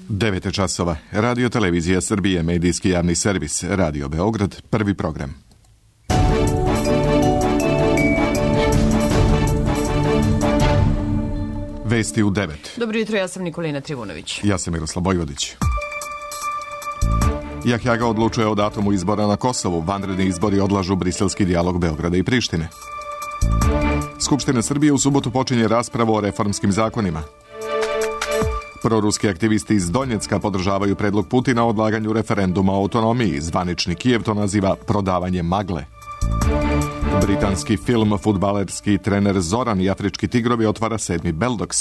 9 časova. Radio Televizija Srbije, medijski javni servis, Radio Beograd, prvi program. Vesti u 9. Dobro jutro, ja sam Nikolina Trivunović. Ja sam Miroslav Bojvodić. Jahjaga odlučuje o datumu izbora na Kosovu. Vanredni izbori odlažu briselski dijalog Beograda i Prištine. Skupština Srbije u subotu počinje raspravu o reformskim zakonima. Proruski aktivisti iz Donjecka podržavaju predlog Putina o odlaganju referenduma o autonomiji. Zvanični Kijev to naziva prodavanje magle. Britanski film Fudbalerski trener Zoran i Afrički tigrovi otvara 7. Beldoks.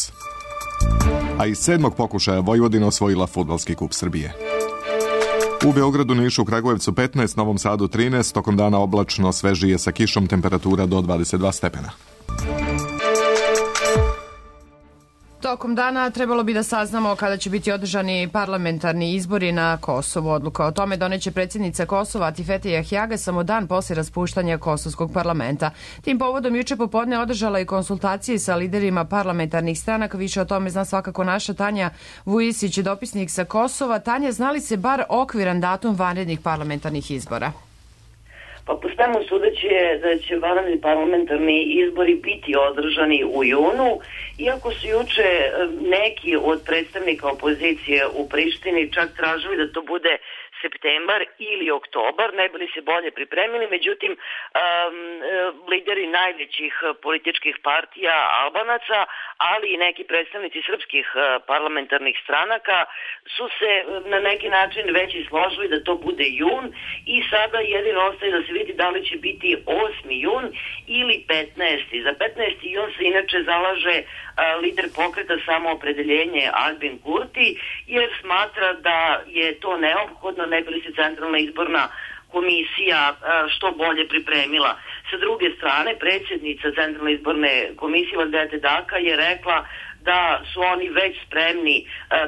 A iz 7. pokušaja Vojvodina osvojila Fudbalski kup Srbije. U Beogradu, Nišu, Kragujevcu 15, Novom Sadu 13, tokom dana oblačno, svežije sa kišom, temperatura do 22 stepena. Tokom dana trebalo bi da saznamo kada će biti održani parlamentarni izbori na Kosovu. Odluka o tome doneće predsjednica Kosova Atifete Jahjaga samo dan posle raspuštanja Kosovskog parlamenta. Tim povodom juče popodne održala i konsultacije sa liderima parlamentarnih stranaka. Više o tome zna svakako naša Tanja Vujisić, dopisnik sa Kosova. Tanja, zna li se bar okviran datum vanrednih parlamentarnih izbora? Pa po svemu sudeći je da će vanredni parlamentarni izbori biti održani u junu, iako su juče neki od predstavnika opozicije u Prištini čak tražili da to bude septembar ili oktobar, ne bi li se bolje pripremili. Međutim, lideri najvećih političkih partija Albanaca, ali i neki predstavnici srpskih parlamentarnih stranaka su se na neki način već složili da to bude jun i sada jedino ostaje da se vidi da li će biti 8. jun ili 15. Za 15. jun se inače zalaže lider pokreta Samoopredeljenje Albin Kurti, jer smatra da je to neophodno ne bi li se Centralna izborna komisija što bolje pripremila. Sa druge strane, predsjednica Centralne izborne komisije Valdete Daka je rekla da su oni već spremni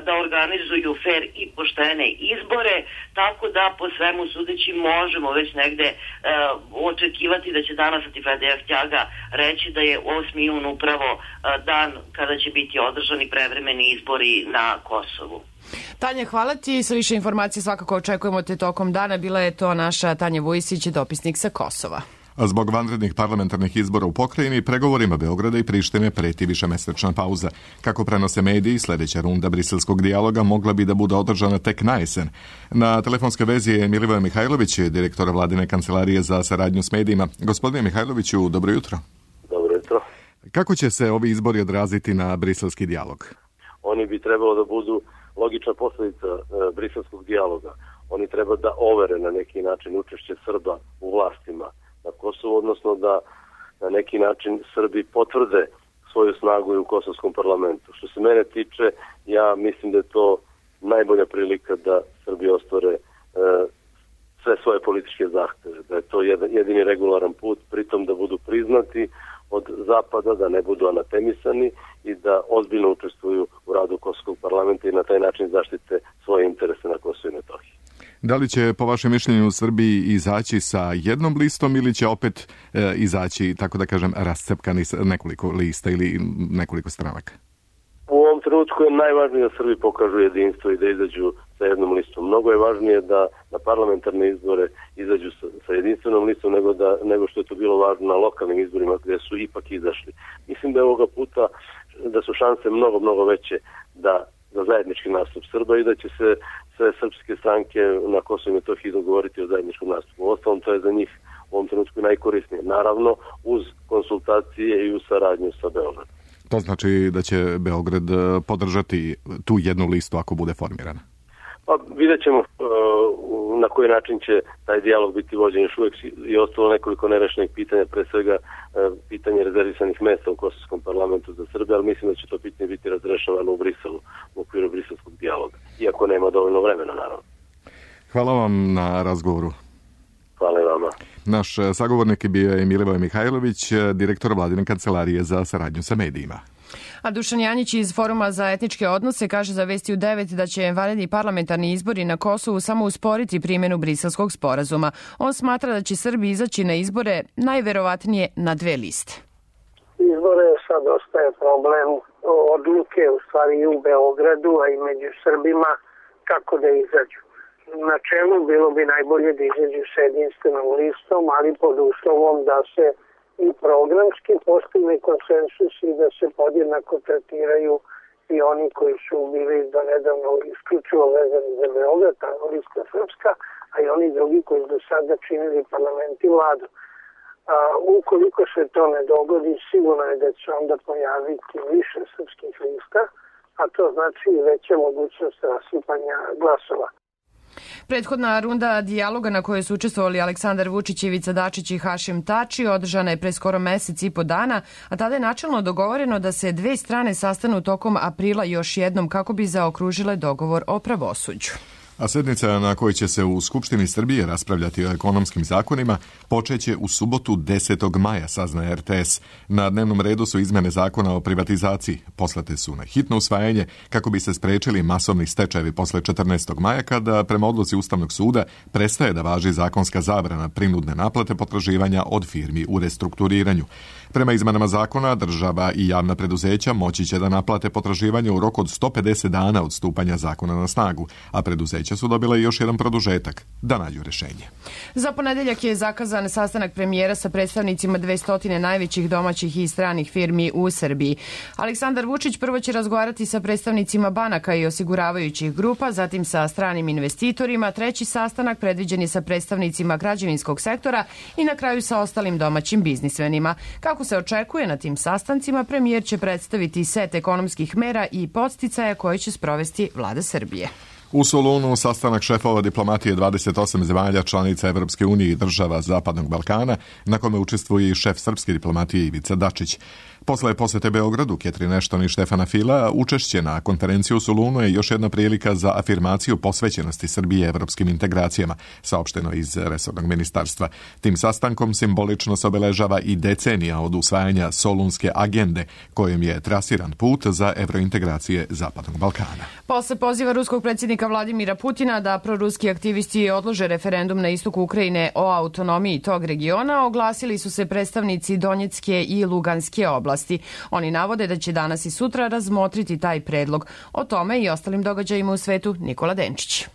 da organizuju fer i poštene izbore, tako da po svemu sudeći možemo već negde očekivati da će danas Atifete Jahjaga reći da je 8. jun upravo dan kada će biti održani prevremeni izbori na Kosovu. Tanja, hvala ti. Sa više informacije svakako očekujemo te tokom dana. Bila je to naša Tanja Vujisić, dopisnik sa Kosova. A zbog vanrednih parlamentarnih izbora u pokrajini, pregovorima Beograda i Prištine preti višemesečna pauza. Kako prenose mediji, sljedeća runda briselskog dijaloga mogla bi da bude održana tek na jesen. Na telefonskoj vezi je Milivoje Mihajlović, direktor Vladine kancelarije za saradnju s medijima. Gospodine Mihajloviću, dobro jutro. Dobro jutro. Kako će se ovi izbori odraziti na briselski dijalog? Oni bi trebalo da budu logična posljedica briselskog dijaloga. Oni treba da overe na neki način učešće Srba u vlastima na Kosovu, odnosno da na neki način Srbi potvrde svoju snagu i u kosovskom parlamentu. Što se mene tiče, ja mislim da je to najbolja prilika da Srbi ostvare sve svoje političke zahteve, da je to jedini regularan put, pritom da budu priznati od Zapada, da ne budu anatemisani i da ozbiljno učestvuju u radu kosovskog parlamenta i na taj način zaštite svoje interese na Kosovu i Metohiji. Da li će, po vašem mišljenju, Srbiji izaći sa jednom listom ili će opet izaći, tako da kažem, rascepkani sa nekoliko lista ili nekoliko stranaka? U ovom trenutku je najvažnije da Srbi pokažu jedinstvo i da izađu sa jednom listom. Mnogo je važnije da na parlamentarne izbore izađu sa jedinstvenom listom nego što je to bilo važno na lokalnim izborima gdje su ipak izašli. Mislim da je ovoga puta da su šanse mnogo veće za zajednički nastup Srba i da će se sve srpske stranke na Kosovu i Metohiji dogovoriti o zajedničkom nastupu. Uostalom, to je za njih u ovom trenutku najkorisnije. Naravno, uz konsultacije i uz saradnju sa Beogradom. To znači da će Beograd podržati tu jednu listu ako bude formirana? Pa vidjet ćemo na koji način će taj dijalog biti vođen. Još uvijek je ostalo nekoliko nerešenih pitanja, pre svega pitanje rezervisanih mesta u Kosovskom parlamentu za Srbe, ali mislim da će to pitanje biti razrešavano u Briselu, u okviru briselskog dijaloga. Iako nema dovoljno vremena, naravno. Hvala vam na razgovoru. Hvala i vama. Naš sagovornik je bio Milivoje Mihajlović, direktor Vladine kancelarije za saradnju sa medijima. A Dušan Janjić iz Foruma za etničke odnose kaže za Vesti u 9 da će vanredni parlamentarni izbori na Kosovu samo usporiti primjenu Briselskog sporazuma. On smatra da će Srbi izaći na izbore najverovatnije na 2 liste. Izbore sad ostaje problem odluke u stvari i u Beogradu, a i među Srbima kako da izađu. Na čelu bilo bi najbolje da izađu sa jedinstvenom listom, ali pod uslovom da se i programski postigne konsensus i da se podjednako tretiraju i oni koji su bili do nedavno isključivo vezani za Beograd, ta lista srpska, a i oni drugi koji do sada činili parlament i vladu. Ukoliko se to ne dogodi, sigurno je da će onda pojaviti više srpskih lista, a to znači i veća mogućnost rasipanja glasova. Prethodna runda dijaloga na kojoj su učestvovali Aleksandar Vučić, Ivica Dačić i Hašim Tači održana je pre skoro mesec i po dana, a tada je načelno dogovoreno da se dve strane sastanu tokom aprila još jednom kako bi zaokružile dogovor o pravosuđu. A sednica na kojoj će se u Skupštini Srbije raspravljati o ekonomskim zakonima počeće u subotu 10. maja, saznaje RTS. Na dnevnom redu su izmene zakona o privatizaciji. Poslate su na hitno usvajanje kako bi se sprečili masovni stečajevi posle 14. maja kada prema odluci Ustavnog suda prestaje da važi zakonska zabrana prinudne naplate potraživanja od firmi u restrukturiranju. Prema izmenama zakona, država i javna preduzeća moći će da naplate potraživanje u roku od 150 dana od stupanja zakona na snagu, a preduzeća su dobile još jedan produžetak da nađu rešenje. Za ponedeljak je zakazan sastanak premijera sa predstavnicima 200 najvećih domaćih i stranih firmi u Srbiji. Aleksandar Vučić prvo će razgovarati sa predstavnicima banaka i osiguravajućih grupa, zatim sa stranim investitorima, treći sastanak predviđen je sa predstavnicima građevinskog sektora i na kraju sa ostalim domaćim biznismenima. Kako se očekuje na tim sastancima, premijer će predstaviti set ekonomskih mera i podsticaja koje će sprovesti vlada Srbije. U Solunu sastanak šefova diplomatije 28 zemalja članica Evropske unije i država Zapadnog Balkana, na kome učestvuje i šef srpske diplomatije Ivica Dačić. Posle posete Beogradu, Ketrin Ashton i Štefana Fila, učešće na konferenciju u Solunu je još jedna prilika za afirmaciju posvećenosti Srbije evropskim integracijama, saopšteno iz resornog ministarstva. Tim sastankom simbolično se obeležava i decenija od usvajanja Solunske agende, kojom je trasiran put za evrointegracije Zapadnog Balkana. Posle poziva ruskog predsjednika Vladimira Putina da proruski aktivisti odlože referendum na istoku Ukrajine o autonomiji tog regiona, oglasili su se predstavnici Donjecke i Luganske oblasti. Oni navode da će danas i sutra razmotriti taj predlog. O tome i ostalim događajima u svetu Nikola Denčić.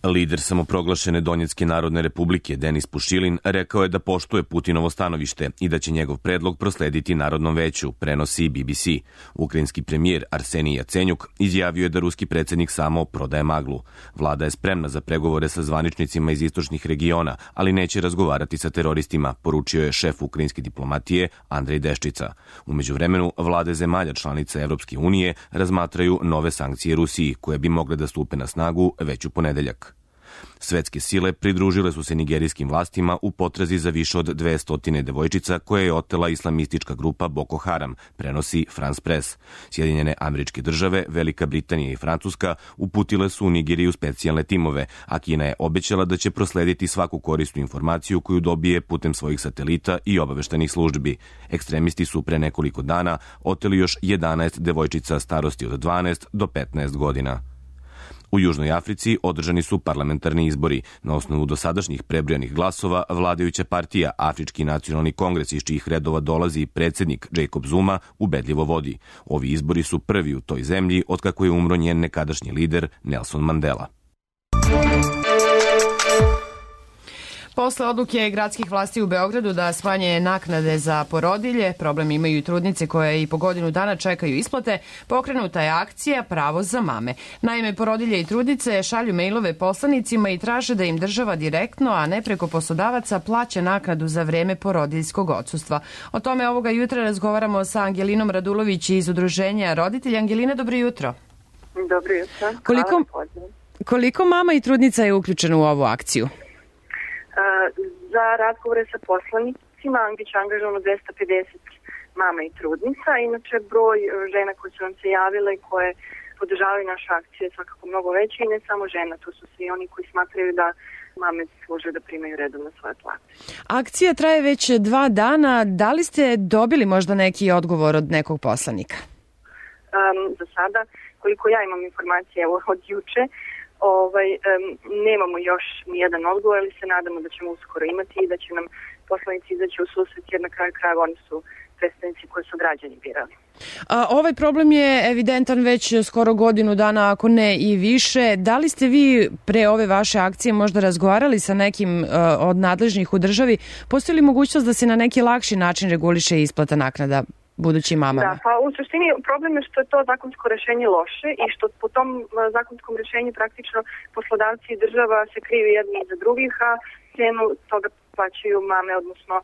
Lider samoproglašene Donjecke narodne republike Denis Pušilin rekao je da poštuje Putinovo stanovište i da će njegov predlog proslediti Narodnom veću, prenosi BBC. Ukrajinski premijer Arsenij Jacenjuk izjavio je da ruski predsjednik samo prodaje maglu. Vlada je spremna za pregovore sa zvaničnicima iz istočnih regiona, ali neće razgovarati sa teroristima, poručio je šef ukrajinske diplomatije Andrej Deščica. U međuvremenu, vlade zemalja članica Evropske unije razmatraju nove sankcije Rusiji, koje bi mogle da stupe na snagu već u ponedeljak. Svetske sile pridružile su se nigerijskim vlastima u potrazi za više od 200 devojčica koje je otela islamistička grupa Boko Haram, prenosi France Press. Sjedinjene Američke Države, Velika Britanija i Francuska uputile su u Nigeriju specijalne timove, a Kina je obećala da će proslediti svaku korisnu informaciju koju dobije putem svojih satelita i obaveštajnih službi. Ekstremisti su pre nekoliko dana oteli još 11 devojčica starosti od 12 do 15 godina. U Južnoj Africi održani su parlamentarni izbori. Na osnovu dosadašnjih prebrojanih glasova, vladajuća partija Afrički nacionalni kongres, iz čijih redova dolazi predsjednik Jacob Zuma, ubedljivo vodi. Ovi izbori su prvi u toj zemlji otkako je umro njen nekadašnji lider Nelson Mandela. Posle odluke gradskih vlasti u Beogradu da smanje naknade za porodilje, problem imaju i trudnice koje i po godinu dana čekaju isplate, pokrenuta je akcija Pravo za mame. Naime, porodilje i trudnice šalju mejlove poslanicima i traže da im država direktno, a ne preko poslodavaca, plaća naknadu za vreme porodiljskog odsustva. O tome ovoga jutra razgovaramo sa Angelinom Radulović iz Udruženja roditelja. Angelina, dobro jutro. Dobro jutro. Koliko mama i trudnica je uključeno u ovu akciju? Za razgovore sa poslanicima biće angažovano 250 mama i trudnica. Inače, broj žena koje su nam se javile i koje podržavaju našu akciju je svakako mnogo veći i ne samo žena, to su svi oni koji smatraju da mame služe da primaju redovno svoje plate. Akcija traje već 2 dana. Da li ste dobili možda neki odgovor od nekog poslanika? Za sada, koliko ja imam informacije od juče, nemamo još nijedan odgovor, ali se nadamo da ćemo uskoro imati i da će nam poslanici izaći u susret, jer na kraju krajeva oni su predstavnici koje su građani birali. Ovaj problem je evidentan već skoro godinu dana, ako ne i više. Da li ste vi pre ove vaše akcije možda razgovarali sa nekim od nadležnih u državi? Postoji li mogućnost da se na neki lakši način reguliše isplata naknada budućim mamama? Da, pa u suštini problem je što je to zakonsko rešenje loše i što po tom zakonskom rešenju praktično poslodavci i država se krivi jedni iza drugih, a cenu toga plaćaju mame, odnosno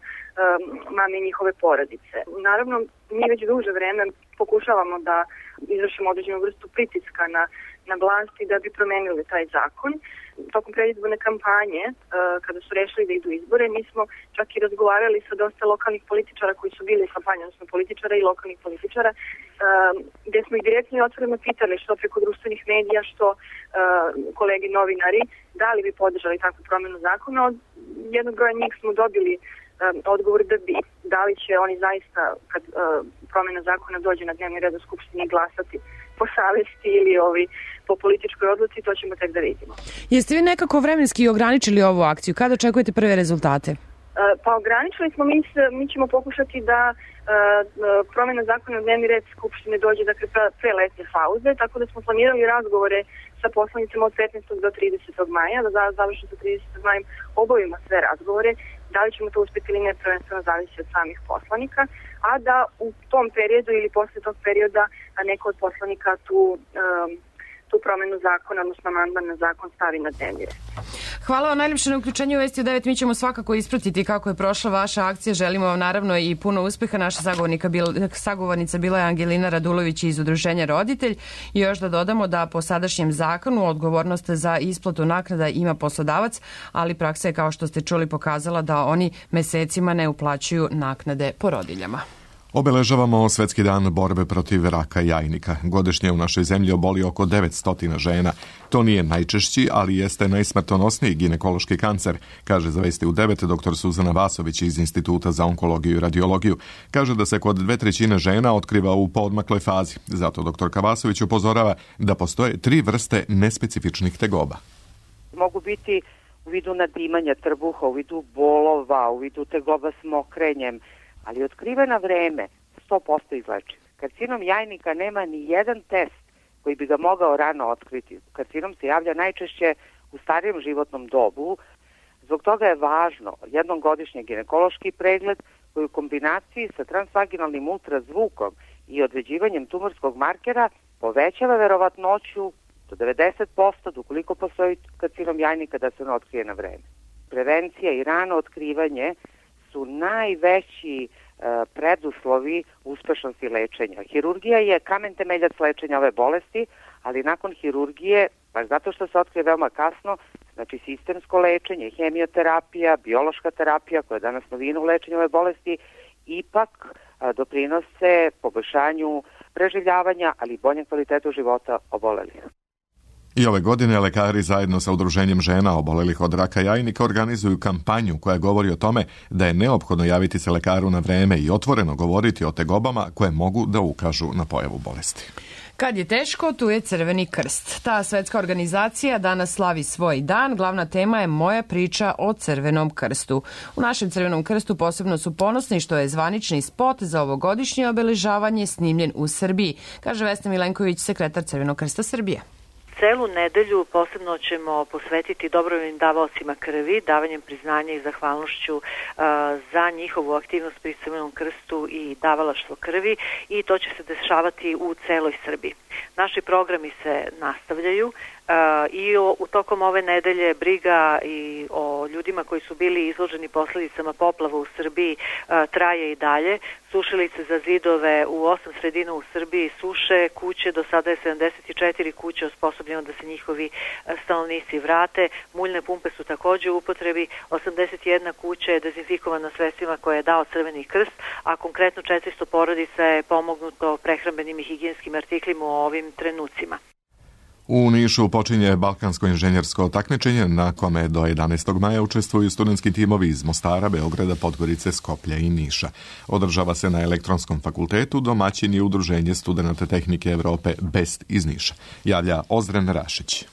mame i njihove porodice. Naravno, mi već duže vreme pokušavamo da izvršimo određenu vrstu pritiska na vlasti da bi promenili taj zakon. Tokom predizborne kampanje, kada su rešili da idu izbore, mi smo čak i razgovarali sa dosta lokalnih političara koji su bili u kampanji, odnosno političara i lokalnih političara, gde smo ih direktno i otvoreno pitali što preko društvenih medija, što kolegi novinari, da li bi podržali takvu promenu zakona. Od jednog broja njih smo dobili odgovor da bi. Da li će oni zaista, kad promena zakona dođe na dnevni red u Skupštini, glasati po savesti ili po političkoj odluci, to ćemo tek da vidimo. Jeste vi nekako vremenski ograničili ovu akciju? Kada očekujete prve rezultate? Pa ograničili smo, mi ćemo pokušati da promena zakona na dnevni red Skupštine dođe pre letnje pauze, tako da smo planirali razgovore sa poslanicima od 15. do 30. maja, da završimo sa 30. majem obavimo sve razgovore. Da li ćemo to uspjeti ili ne, prvenstveno zavisi od samih poslanika, a da u tom periodu ili posle tog perioda neko od poslanika tu promenu zakona, odnosno amandman na zakon stavi na dnevni red. Hvala vam najljepše na uključenju u Vesti u 9. Mi ćemo svakako ispratiti kako je prošla vaša akcija. Želimo vam naravno i puno uspeha. Naša sagovornica bila je Angelina Radulović iz Udruženja Roditelj. I još da dodamo da po sadašnjem zakonu odgovornost za isplatu naknada ima poslodavac, ali praksa je, kao što ste čuli, pokazala da oni mesecima ne uplaćuju naknade porodiljama. Obeležavamo Svetski dan borbe protiv raka jajnika. Godišnje u našoj zemlji oboli oko 900 žena. To nije najčešći, ali jeste najsmrtonosniji ginekološki kancer, kaže za Vesti u 9 dr. Suzana Vasović iz Instituta za onkologiju i radiologiju. Kaže da se kod 2/3 žena otkriva u poodmakloj fazi. Zato dr. Vasović upozorava da postoje 3 vrste nespecifičnih tegoba. Mogu biti u vidu nadimanja trbuha, u vidu bolova, u vidu tegoba s mokrenjem, ali otkriven na vreme 100% izlečiv. Karcinom jajnika nema ni jedan test koji bi ga mogao rano otkriti. Karcinom se javlja najčešće u starijem životnom dobu. Zbog toga je važno jednom godišnje ginekološki pregled koji u kombinaciji sa transvaginalnim ultrazvukom i određivanjem tumorskog markera povećava verovatnoću do 90% ukoliko postoji karcinom jajnika da se on otkrije na vreme. Prevencija i rano otkrivanje su najveći preduslovi uspešnosti lečenja. Hirurgija je kamen temeljac lečenja ove bolesti, ali nakon hirurgije, baš zato što se otkrije veoma kasno, znači sistemsko lečenje, hemioterapija, biološka terapija, koja je danas novina u lečenju ove bolesti, ipak doprinose poboljšanju preživljavanja, ali i boljem kvalitetu života obolelih. I ove godine lekari zajedno sa Udruženjem žena obolelih od raka jajnika organizuju kampanju koja govori o tome da je neophodno javiti se lekaru na vreme i otvoreno govoriti o tegobama koje mogu da ukažu na pojavu bolesti. Kad je teško, tu je Crveni krst. Ta svetska organizacija danas slavi svoj dan. Glavna tema je Moja priča o Crvenom krstu. U našem Crvenom krstu posebno su ponosni što je zvanični spot za ovogodišnje obeležavanje snimljen u Srbiji, kaže Vesna Milenković, sekretar Crvenog krsta Srbije. Celu nedelju posebno ćemo posvetiti dobrovoljnim davaocima krvi, davanjem priznanja i zahvalnošću za njihovu aktivnost pri Crvenom krstu i davalaštvo krvi, i to će se dešavati u celoj Srbiji. Naši programi se nastavljaju i tokom ove nedelje briga i o ljudima koji su bili izloženi posledicama poplava u Srbiji traje i dalje. Sušilice za zidove u 8 sredina u Srbiji suše kuće, do sada je 74 kuće osposobljeno da se njihovi stanovnici vrate. Muljne pumpe su takođe u upotrebi, 81 kuća je dezinfikovana sredstvima koje je dao Crveni krst, a konkretno 400 porodica je pomognuto prehrambenim i higijenskim artiklima u ovim trenucima. U Nišu počinje balkansko inženjersko takmičenje na kome do 11. maja učestvuju studentski timovi iz Mostara, Beograda, Podgorice, Skoplja i Niša. Održava se na Elektronskom fakultetu, domaćin je Udruženje studenata tehnike Evrope BEST iz Niša. Javlja Ozren Rašić.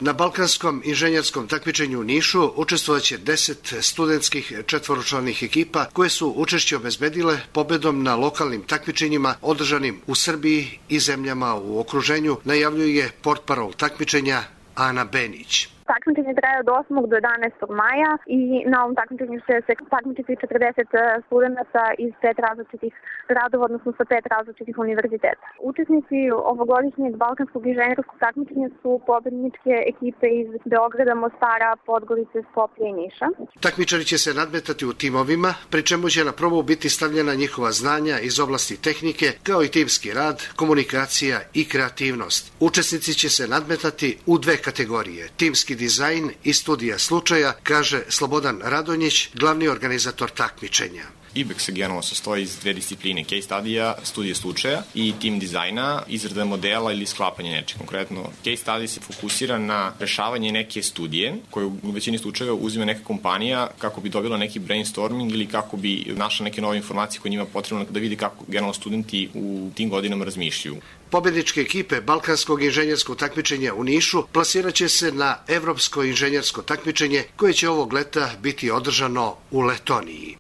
Na balkanskom inženjerskom takmičenju u Nišu učestvovaće 10 studentskih četvoročlanih ekipa koje su učešće obezbedile pobedom na lokalnim takmičenjima održanim u Srbiji i zemljama u okruženju, najavljuje portparol takmičenja Ana Benić. Takmičenje traje od 8. do 11. maja i na ovom takmičenju će se takmičiti 40 studenta iz 5 različitih gradova, odnosno sa 5 različitih univerziteta. Učesnici ovogodišnjeg balkanskog inženjerskog takmičenja su pobedničke ekipe iz Beograda, Mostara, Podgorice, Skoplja i Niša. Takmičari će se nadmetati u timovima, pri čemu će na probu biti stavljena njihova znanja iz oblasti tehnike, kao i timski rad, komunikacija i kreativnost. Učesnici će se nadmetati u 2 kategorije, timski dizajn i studija slučaja, kaže Slobodan Radonjić, glavni organizator takmičenja. IBEX se generalno sastoji iz 2 discipline, case studija, studije slučaja i tim dizajna, izrada modela ili sklapanje nečeg. Konkretno, case study se fokusira na rešavanje neke studije koje u većini slučajeva uzima neka kompanija kako bi dobila neki brainstorming ili kako bi našla neke nove informacije koje njima potrebno da vidi kako generalno studenti u tim godinama razmišljaju. Pobedničke ekipe balkanskog inženjerskog takmičenja u Nišu plasirat će se na evropsko inženjersko takmičenje koje će ovog leta biti održano u Letoniji.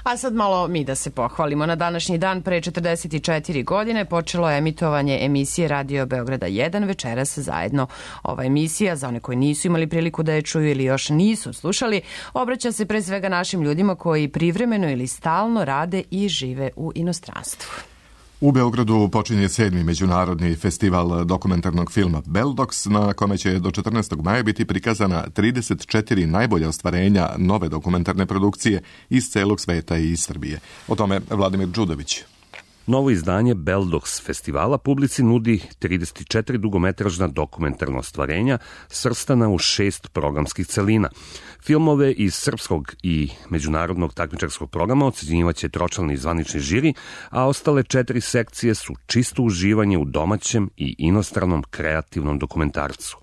A sad malo mi da se pohvalimo. Na današnji dan pre 44 godine počelo je emitovanje emisije Radio Beograda 1 večeras zajedno. Ova emisija, za one koji nisu imali priliku da je čuju ili još nisu slušali, obraća se pre svega našim ljudima koji privremeno ili stalno rade i žive u inostranstvu. U Beogradu počinje 7. međunarodni festival dokumentarnog filma Beldox, na kome će do 14. maja biti prikazana 34 najbolja ostvarenja nove dokumentarne produkcije iz celog sveta i iz Srbije. O tome Vladimir Đudović. Novo izdanje Beldox festivala publici nudi 34 dugometražna dokumentarna ostvarenja svrstana u 6 programskih celina. Filmove iz srpskog i međunarodnog takmičarskog programa ocenjivaće tročlani zvanični žiri, a ostale 4 sekcije su čisto uživanje u domaćem i inostranom kreativnom dokumentarcu.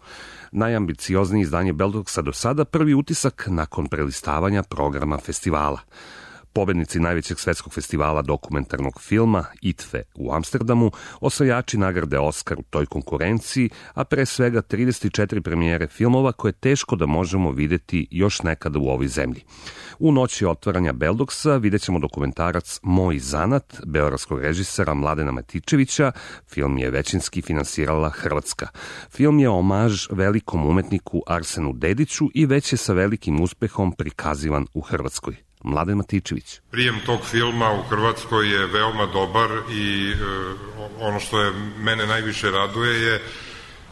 Najambicioznije izdanje Beldoxa do sada, prvi utisak nakon prelistavanja programa festivala. Pobednici najvećeg svetskog festivala dokumentarnog filma ITFE u Amsterdamu, osvajači nagrade Oskar u toj konkurenciji, a pre svega 34 premijere filmova koje teško da možemo videti još nekada u ovoj zemlji. U noći otvaranja Beldoxa vidjet ćemo dokumentarac Moj zanat, beogradskog režisera Mladena Matičevića. Film je većinski finansirala Hrvatska. Film je omaž velikom umetniku Arsenu Dediću i već je sa velikim uspehom prikazivan u Hrvatskoj. Mladen Matičević. Prijem tog filma u Hrvatskoj je veoma dobar i ono što je mene najviše raduje je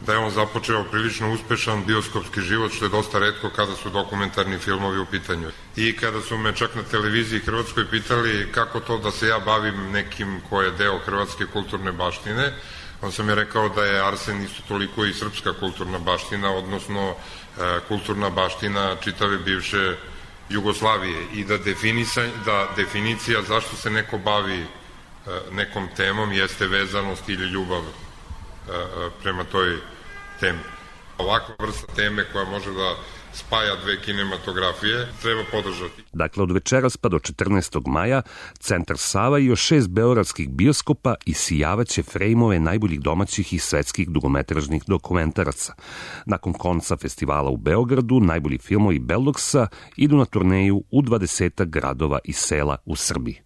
da je on započeo prilično uspešan bioskopski život, što je dosta retko kada su dokumentarni filmovi u pitanju. I kada su me čak na televiziji Hrvatskoj pitali kako to da se ja bavim nekim ko je deo hrvatske kulturne baštine, on sam je rekao da je Arsen isto toliko i srpska kulturna baština, odnosno kulturna baština čitave bivše Jugoslavije i da definicija zašto se neko bavi nekom temom jeste vezanost ili ljubav prema toj temi. Ovakva vrsta teme koja može da spaja 2 kinematografije treba podržati. Dakle, od večeras pa do 14. maja Centar Sava i još 6 beogradskih bioskopa isijavaće frejmove najboljih domaćih i svetskih dugometražnih dokumentaraca. Nakon konca festivala u Beogradu, najbolji filmovi Beldoxa idu na turneju u 20 gradova i sela u Srbiji.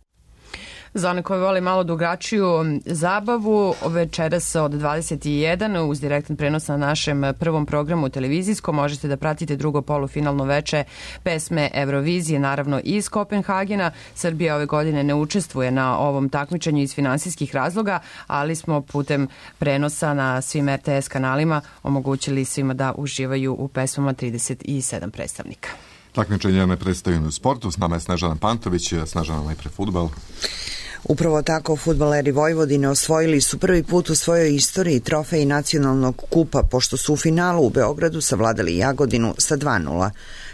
Za one koji vole malo drugačiju zabavu, večeras od 21 uz direktan prenos na našem prvom programu televizijskom možete da pratite drugo polufinalno veče pesme Eurovizije, naravno iz Kopenhagena. Srbija ove godine ne učestvuje na ovom takmičenju iz finansijskih razloga, ali smo putem prenosa na svim RTS kanalima omogućili svima da uživaju u pesmama 37 predstavnika. Takmičenja ne predstavljaju u sportu. S nama je Snežana Pantović. Snežana, najpre fudbal. Upravo tako, fudbaleri Vojvodine osvojili su prvi put u svojoj istoriji trofej nacionalnog kupa, pošto su u finalu u Beogradu savladali Jagodinu sa 2:0.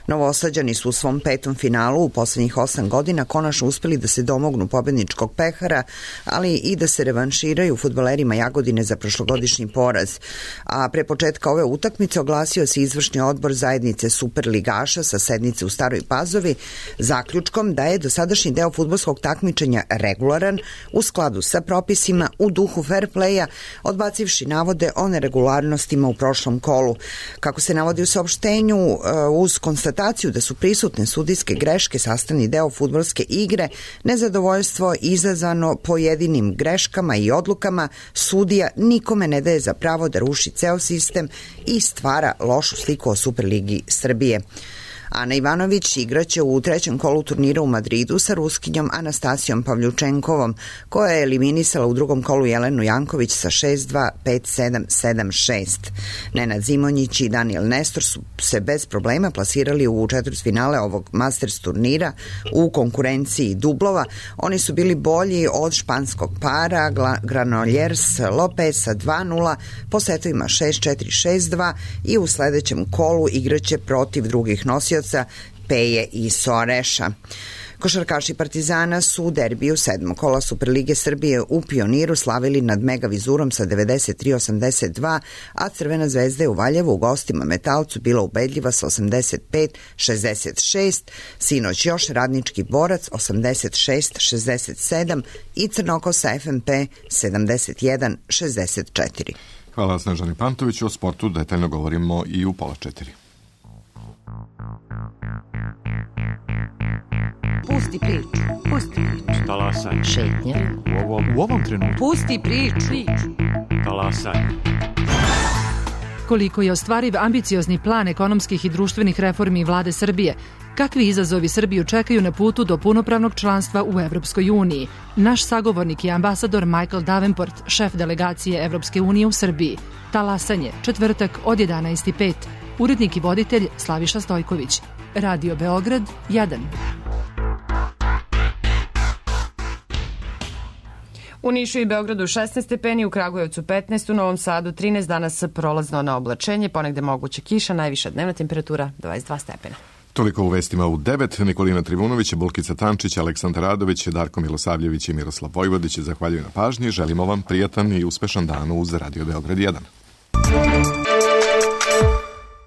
Novosađani su u svom 5. finalu u poslednjih 8 godina konačno uspeli da se domognu pobedničkog pehara, ali i da se revanširaju fudbalerima Jagodine za prošlogodišnji poraz. A pre početka ove utakmice oglasio se izvršni odbor zajednice Superligaša sa sednice u Staroj Pazovi zaključkom da je dosadašnji deo fudbalskog takmičenja regularan odgovoran u skladu sa propisima u duhu fair playa, odbacivši navode o neregularnostima u prošlom kolu. Kako se navodi u saopštenju, uz konstataciju da su prisutne sudijske greške sastavni deo fudbalske igre, nezadovoljstvo izazvano pojedinim greškama i odlukama sudija nikome ne daje za pravo da ruši ceo sistem i stvara lošu sliku o Superligi Srbije. Ana Ivanović igraće u trećem kolu turnira u Madridu sa Ruskinjom Anastasijom Pavljučenkovom, koja je eliminisala u drugom kolu Jelenu Janković sa 6-2, 5-7, 7-6. Nenad Zimonjić i Daniel Nestor su se bez problema plasirali u četvrtfinale ovog Masters turnira u konkurenciji dublova. Oni su bili bolji od španskog para Granollers Lopez sa 2-0 po setovima 6-4, 6-2 i u sledećem kolu igraće protiv drugih nosioca Peje i Soareša. Košarkaši Partizana su u derbiju 7. kola Superlige Srbije u Pioniru slavili nad Mega Vizurom sa 93-82, a Crvena zvezda je u Valjevu u gostima Metalcu bila ubedljiva sa 85-66, sinoć još Radnički Borac 86-67 i Crnokosa FNP 71-64. Hvala Snežani Pantoviću. O sportu detaljno govorimo i u 3:30. Pusti priču. Pusti priču. Talasaj. Šetnja. U ovom trenutku. Pusti priču. Talasaj. Koliko je ostvariv ambiciozni plan ekonomskih i društvenih reformi vlade Srbije? Kakvi izazovi Srbiju čekaju na putu do punopravnog članstva u Evropskoj uniji? Naš sagovornik je ambasador Michael Davenport, šef delegacije Evropske unije u Srbiji. Talasanje, četvrtak od 11:05. Urednik i voditelj Slaviša Stojković. Radio Beograd 1. U Nišu i Beogradu 16 stepeni, u Kragujevcu 15, u Novom Sadu 13, danas prolazno na oblačenje, ponegde moguće kiša, najviša dnevna temperatura 22 stepena. Toliko u vestima u 9. Nikolina Trivunović, Bulkica Tančić, Aleksandar Radović, Darko Milosavljević i Miroslav Vojvodić zahvaljuju na pažnji. Želimo vam prijatan i uspešan dan uz Radio Beograd 1.